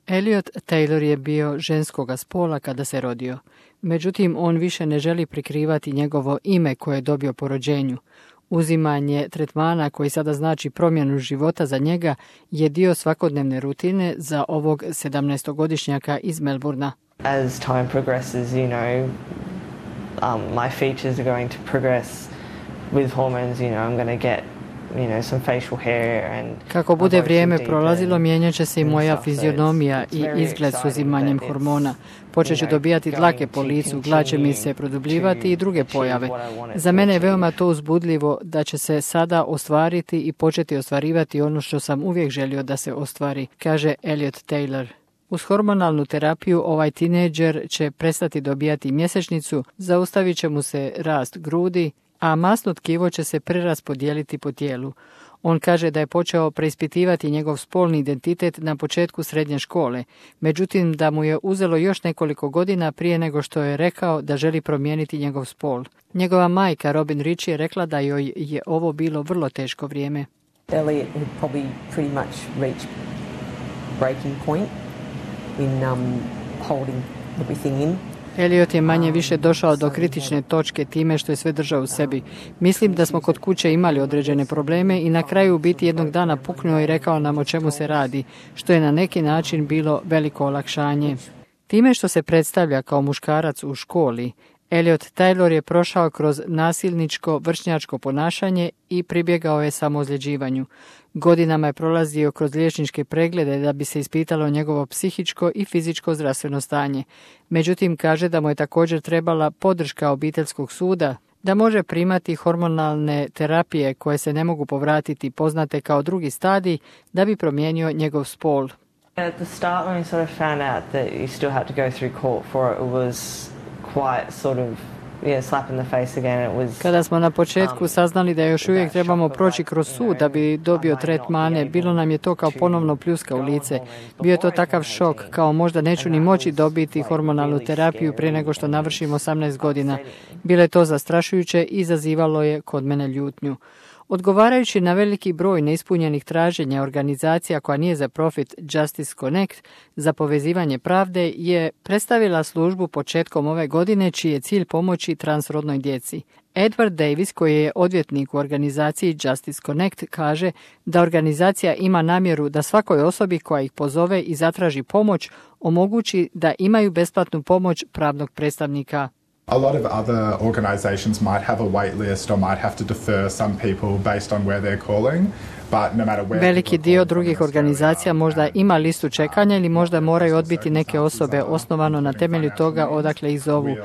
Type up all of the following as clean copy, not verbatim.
Elliot Taylor je bio ženskoga spola kada se rodio. Međutim, on više ne želi prikrivati njegovo ime koje je dobio po rođenju. Uzimanje tretmana koji sada znači promjenu života za njega je dio svakodnevne rutine za ovog 17-godišnjaka iz Melbourna. As time progresses, my features are going to progress with hormones, I'm going to get some facial hair and kako bude vrijeme prolazilo, mijenjat će se i moja fizionomija i izgled s uzimanjem hormona. Počet ću dobijati dlake po licu, glad će mi se produbljivati i druge pojave. Za mene je veoma to uzbudljivo da će se sada ostvariti i početi ostvarivati ono što sam uvijek želio da se ostvari, kaže Elliot Taylor. Uz hormonalnu terapiju ovaj tinejdžer će prestati dobijati mjesečnicu, zaustavit će mu se rast grudi, a masno tkivo će se preraspodijeliti po tijelu. On kaže da je počeo preispitivati njegov spolni identitet na početku srednje škole, međutim da mu je uzelo još nekoliko godina prije nego što je rekao da želi promijeniti njegov spol. Njegova majka Robin Rich je rekla da joj je ovo bilo vrlo teško vrijeme. Elliot had probably pretty much reached breaking point in holding everything in. Elliot je manje više došao do kritične točke time što je sve držao u sebi. Mislim da smo kod kuće imali određene probleme i na kraju u biti jednog dana puknuo i rekao nam o čemu se radi, što je na neki način bilo veliko olakšanje. Time što se predstavlja kao muškarac u školi, Elliot Taylor je prošao kroz nasilničko vršnjačko ponašanje i pribjegao je samoozljeđivanju. Godinama je prolazio kroz liječničke preglede da bi se ispitalo njegovo psihičko i fizičko zdravstveno stanje. Međutim, kaže da mu je također trebala podrška obiteljskog suda, da može primati hormonalne terapije koje se ne mogu povratiti, poznate kao drugi stadij, da bi promijenio njegov spol. At the start when we sort of found out that you still had to go through court for it, it was quite sort of slap in the face again. It was, kada smo na početku saznali da još uvijek trebamo proći kroz sud da bi dobio tretmane, bilo nam je to kao ponovno pljuska u lice. Bio je to takav šok, kao možda neću ni moći dobiti hormonalnu terapiju prije nego što navršim 18 godina. Bilo je to zastrašujuće i izazivalo je kod mene ljutnju. Odgovarajući na veliki broj neispunjenih traženja organizacija koja nije za profit Justice Connect za povezivanje pravde je predstavila službu početkom ove godine čiji je cilj pomoći transrodnoj djeci. Edward Davis, koji je odvjetnik u organizaciji Justice Connect, kaže da organizacija ima namjeru da svakoj osobi koja ih pozove i zatraži pomoć omogući da imaju besplatnu pomoć pravnog predstavnika. A lot of other organizations might have a wait list or might have to defer some people based on where they're calling. Veliki dio drugih organizacija možda ima listu čekanja ili možda moraju odbiti neke osobe osnovano na temelju toga odakle ih zovu.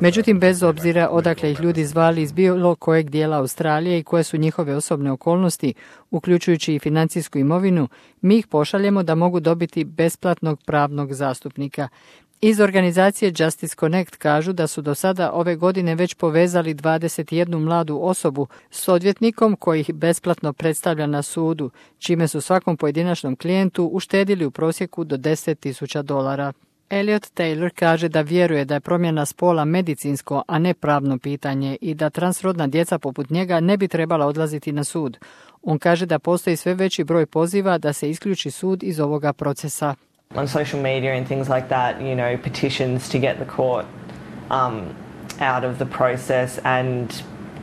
Međutim, bez obzira odakle ih ljudi zvali iz bilo kojeg dijela Australije i koje su njihove osobne okolnosti, uključujući i financijsku imovinu, mi ih pošaljemo da mogu dobiti besplatnog pravnog zastupnika. Iz organizacije Justice Connect kažu da su do sada ove godine već povezali 21 mladu osobu s odvjetnikom koji ih besplatno predstavlja na sudu, čime su svakom pojedinačnom klijentu uštedili u prosjeku do $10,000. Elliot Taylor kaže da vjeruje da je promjena spola medicinsko, a ne pravno pitanje i da transrodna djeca poput njega ne bi trebala odlaziti na sud. On kaže da postoji sve veći broj poziva da se isključi sud iz ovoga procesa. On social media and things like that, petitions to get the court out of the process and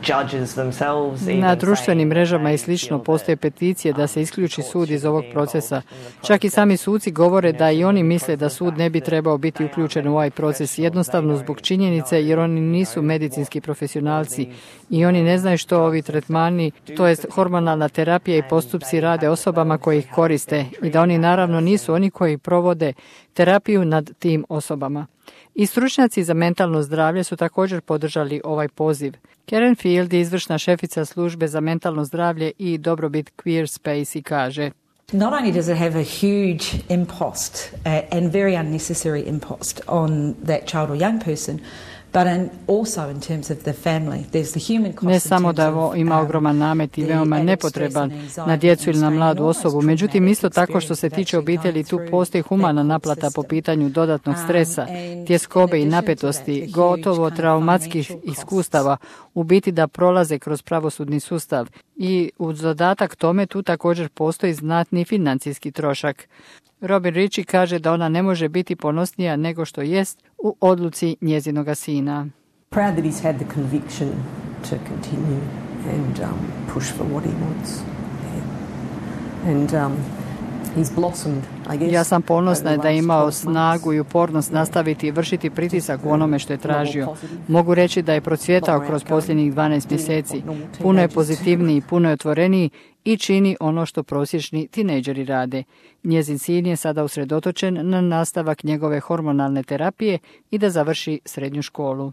judges themselves. Na društvenim mrežama i slično postoje peticije da se isključi sud iz ovog procesa. Čak i sami suci govore da i oni misle da sud ne bi trebao biti uključen u ovaj proces, jednostavno zbog činjenice jer oni nisu medicinski profesionalci i oni ne znaju što ovi tretmani, to jest hormonalna terapija i postupci rade osobama koji ih koriste i da oni naravno nisu oni koji provode terapiju nad tim osobama. I stručnjaci za mentalno zdravlje su također podržali ovaj poziv. Karen Field je izvršna šefica službe za mentalno zdravlje i dobrobit Queer Space i kaže: Not only does it have a huge impost and very unnecessary impost on that child or young person, but also in terms of the family. There's the human cost. Ne samo da ovo ima ogroman namet i veoma nepotreban na djecu ili na mladu osobu, međutim isto tako što se tiče obitelji tu postoji humana naplata po pitanju dodatnog stresa, tjeskobe i napetosti, gotovo traumatskih iskustava, u biti da prolaze kroz pravosudni sustav. I uz dodatak tome tu također postoji znatni financijski trošak. Robin Ritchie kaže da ona ne može biti ponosnija nego što jest u odluci njezinoga sina. Proud that he's had the conviction to continue and push for what he wants. And he's blossomed, I guess. Ja sam ponosna da je imao snagu i upornost nastaviti i vršiti pritisak u onome što je tražio. Mogu reći da je procvjetao kroz posljednjih 12 mjeseci. Puno je pozitivniji, puno je otvoreniji i čini ono što prosječni tinejdžeri rade. Njezin sin je sada usredotočen na nastavak njegove hormonalne terapije i da završi srednju školu.